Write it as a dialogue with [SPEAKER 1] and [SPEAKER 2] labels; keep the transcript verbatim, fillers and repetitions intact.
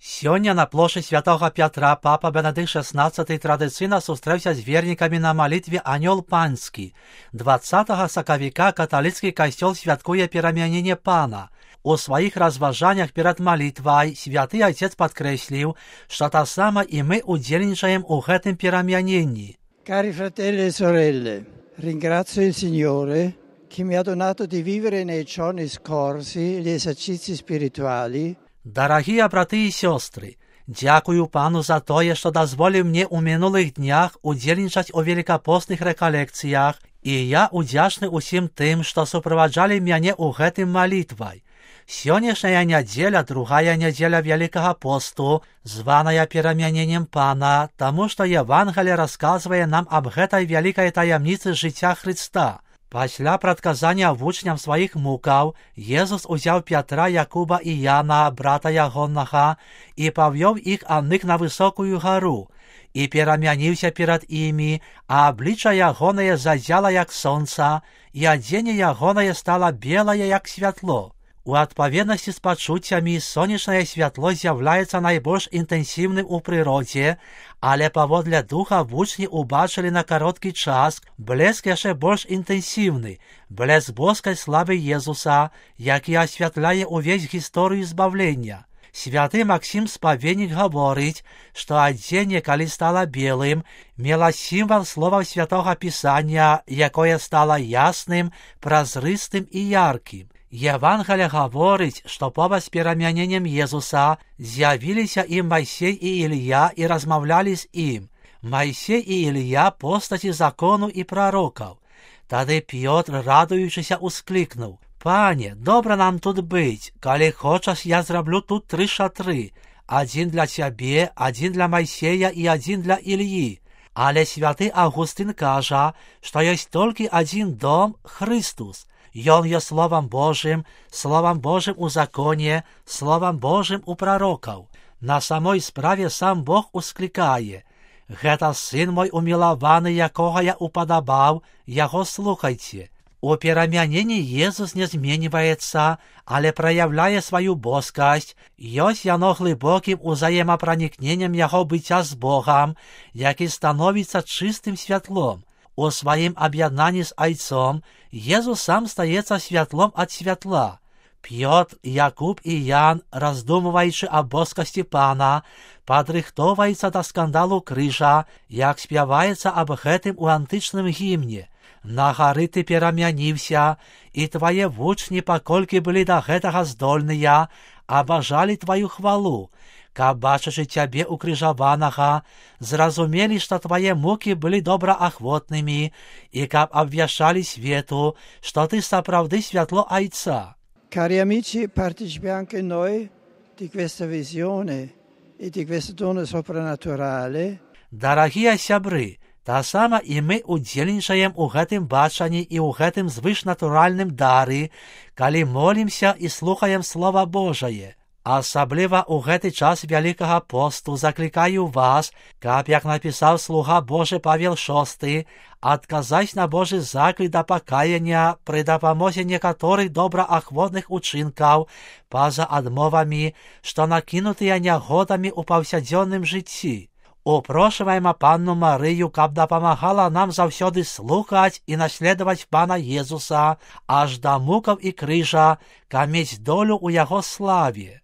[SPEAKER 1] Сёння на плоші святого Пятра папа Бенедикт шестнадцатый традиційно зустрівся з вірниками на молитві «Аньол Панський». двадцятого сакавіка католицький костел святкує перемянення Пана. У своїх розважаннях перед молитвою святий Отець підкреслив, що та сама і ми удзельнічаємо у гэтым перемяненні.
[SPEAKER 2] Cari fratelli e sorelle, ringrazio il Signore che mi ha donato di vivere nei giorni scorsi gli esercizi spirituali.
[SPEAKER 1] Дорогие браты и сестры, дякую Пану за тое, что дозволил мне у минулых днях удзельнічаць у великопостных реколекциях, и я удзячны усім тым, что супроводжали мяне у гэтым молитвой. Сённяшняя неделя, другая неделя Великого посту, званая перемянением Пана, тому что Евангелие рассказывает нам об гэтай великой таямнице життя Христа. Пасля прадказання вучням сваіх мукаў, Езус узяў Пятра, Якуба і Яна, брата ягонага, і павёў іх адных на высокую гару, і перамяніўся перад імі, а аблічча ягонае зазяла, як сонца, і адзенне ягонае стала белае, як святло. У адпаведнасці з пачуццямі сонечнае святло з'яўляецца найбольш інтэнсіўным у прыродзе, але паводле духа вучні убачылі на кароткі час блеск яшчэ больш інтэнсіўны, блеск боскай славы Езуса, які асвятляе ўвесь гісторыю збавлення. Святы Максім Спаведнік гаворыць, што адзенне, калі стала белым, мела сімвал словаў святога Пісання, якое стала ясным, празрыстым і яркім. Евангелие гаворыць, што побач з перамяненнем Езуса з'явіліся ім Майсей і Ілля і размаўлялі з ім. Майсей і Ілля – постаці закону і прарокаў. Тады Пётр, радуючыся, усклікнуў: «Пане, добра нам тут быць, калі хочаш, я зраблю тут тры шатры, адзін для цябе, адзін для Майсея і адзін для Ільі». Але святы Августын кажа, што ёсць толькі адзін дом – Христус. Ён є Словом Божим, Словом Божим у законе, Словом Божим у пророкаў. На самой справе сам Бог усклікае: «Гэта сын мой умілаваны, якога я упадабаў, яго слухайце». У перамяненні Езус не зменьваецца, але праяўляе сваю боскасць, ёсць яно глыбокім узаемапранікненнем яго быцця з Богам, які становіцца чыстым святлом. У сваім аб'яднанні з Айцом Езус сам стаецца святлом ад святла. Пётр, Якуб і Ян, раздумваючы аб боскасці Пана, падрыхтоўваецца да скандалу крыжа, як спяваецца аб гэтым у антычным гімне: «На гары ты перамяніўся, і твае вучні, паколькі былі да гэтага здольныя, абажалі тваю хвалу, каб, бачачы цябе укрыжаванага, зразумелі, што твае мукі былі добраахвотнымі, і каб абвяшчалі свету, што ты сапраўды святло Айца».
[SPEAKER 2] Cari amici, partecipiamo anche noi di questa visione e di questo dono soprannaturale.
[SPEAKER 1] Дарагія сябры, та сама і мы удзельнічаем у гэтым бачанні і ў гэтым звышнатуральным дары, калі молімся і слухаем Слова Божае. Асабліва ў гэты час Вялікага посту заклікаю вас, каб, як напісаў слуга Божы Павел шосты, адказаць на Божы заклік да пакаяння пры дапамозе некаторых добраахвотных учынкаў па-за адмовамі, што накінутыя нягодамі ў паўсядзённым жыцці. Упрошваем Панну Марыю, каб дапамагала нам заўсёды слухаць і наследаваць Пана Езуса аж да мукаў і крыжа, каб мець долю ў яго славе.